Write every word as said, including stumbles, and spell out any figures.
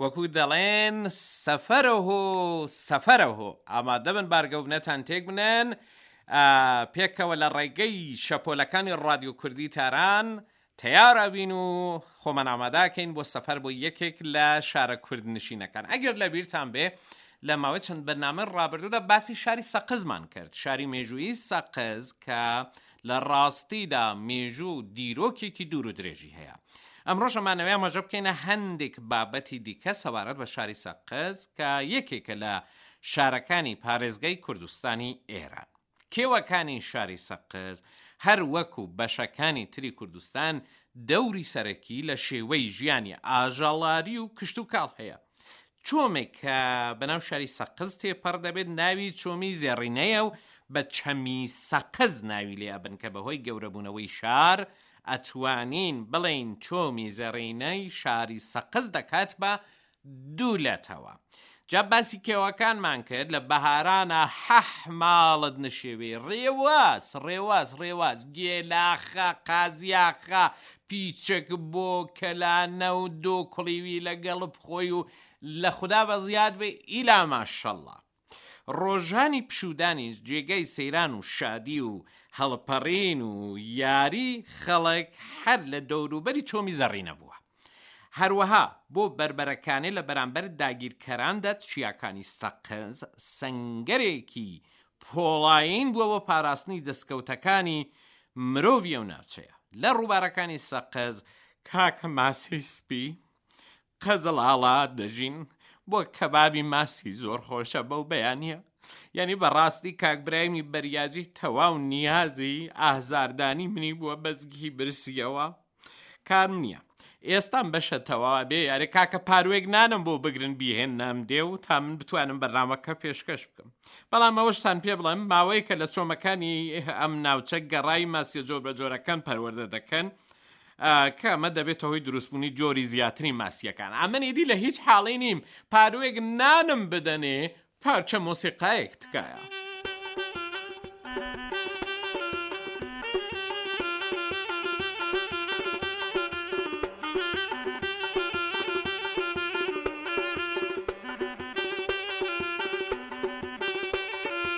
وەکو دەڵێن سەفەرەهۆ سەفەرەهۆ، ئامادەبن بارگەوبنەتان تێک بنێن، پێکەوە لە ڕێگەی شەپۆلەکانی ڕادیۆ کوردی تاران تەیار ئەبین و خۆمان ئامادەکەین بۆ سەفەر بۆ یەکێک لە شارە کوردنشینەکان. ئەگەر لە بیرتان بێ لە ماوەی چەند بەرنامەی ڕابردوودا باسی شاری سەقزمان کرد، شاری مێژوویی سەقز کە لە ڕاستیدا مێژوو و دیرۆکێکی دوور و درێژی هەیە. ئەمڕۆش ئەمانەوێ ئاماژە بکەینە هەندێک بابەتی دیکە سەبارەت بە شاری سەقز کە یەکێکە لە شارەکانی پارێزگای کوردستانی ئێران. کێوەکانی شاری سەقز هەر وەکو بەشەکانی تری کوردستان دەوری سەرەکی لە شێوەی ژیانی ئاژەڵاری و کشتوکاڵ هەیە. چۆمێک کە بەناو شاری سەقز تێپەڕ دەبێت ناوی چۆمی زێڕینەیە و بە چەمی سەقز ناوی لێ ئەبن کە بەهۆی گەورەبوونەوەی شار ئەتوانین بڵێین چۆمی زێڕینەی شاری سەقز دەکات بە دوو لەتەوە. جا باسی کێوەکانمان کرد لە بەهارانا حەح ماڵت نشێوی ڕێواس ڕێواس ڕێواس گێلاخە قازیاخە پیچک بۆ کەلانە و دۆ کوڵیوی لەگەڵ بخۆی و لە خودا بەزیاد بێ ئیلا ماشەڵڵا. ڕۆژانی پشوودانیش جێگای سەیران و شادی و هەڵپەڕین و یاری خەڵک هەر لە دەوروبەری چۆمی زەڕینە بووە. هەروەها بۆ بەربەرەکانێ لە بەرامبەر داگیرکەراندا چیاکانی سەقز سەنگەرێکی پۆڵایین بووە بۆ پاراستنی دەستکەوتەکانی مرۆڤی ئەو ناوچەیە. لە ڕووبارەکانی سەقز کاکە ماسی سپی، قزڵ ئاڵا دەژین بۆ کەبابی ماسی زۆر خۆشە بەو بەیانە. یعنی بەڕاستی کاک برایمی بەریاجی تەواو نیازی ئازاردانی منی بووە بەزگی برسیەوە. کارم نییە ئێستام بەشە تەواوە بێ یارێ کاکە پاروێک نانم بۆ بگرن بیهێننام دێ و تا من بتوانم بەرنامەکە پێشکەش بکەم. بەڵام ئەوەشتان پێ بڵێم ماوەیەکە لە چۆمەکانی ئەم ناوچە گەڕای ماسیە جۆر بە جۆرەکان پەروەردە دەکەن کە ئەمە دەبێتە هۆی دروستبوونی جۆری زیاتری ماسیەکان. ئەمن ئیدی لە هیچ حاڵی نیم پاروێک نانم بدەنێ پارچە مۆسیقایەک تکایە.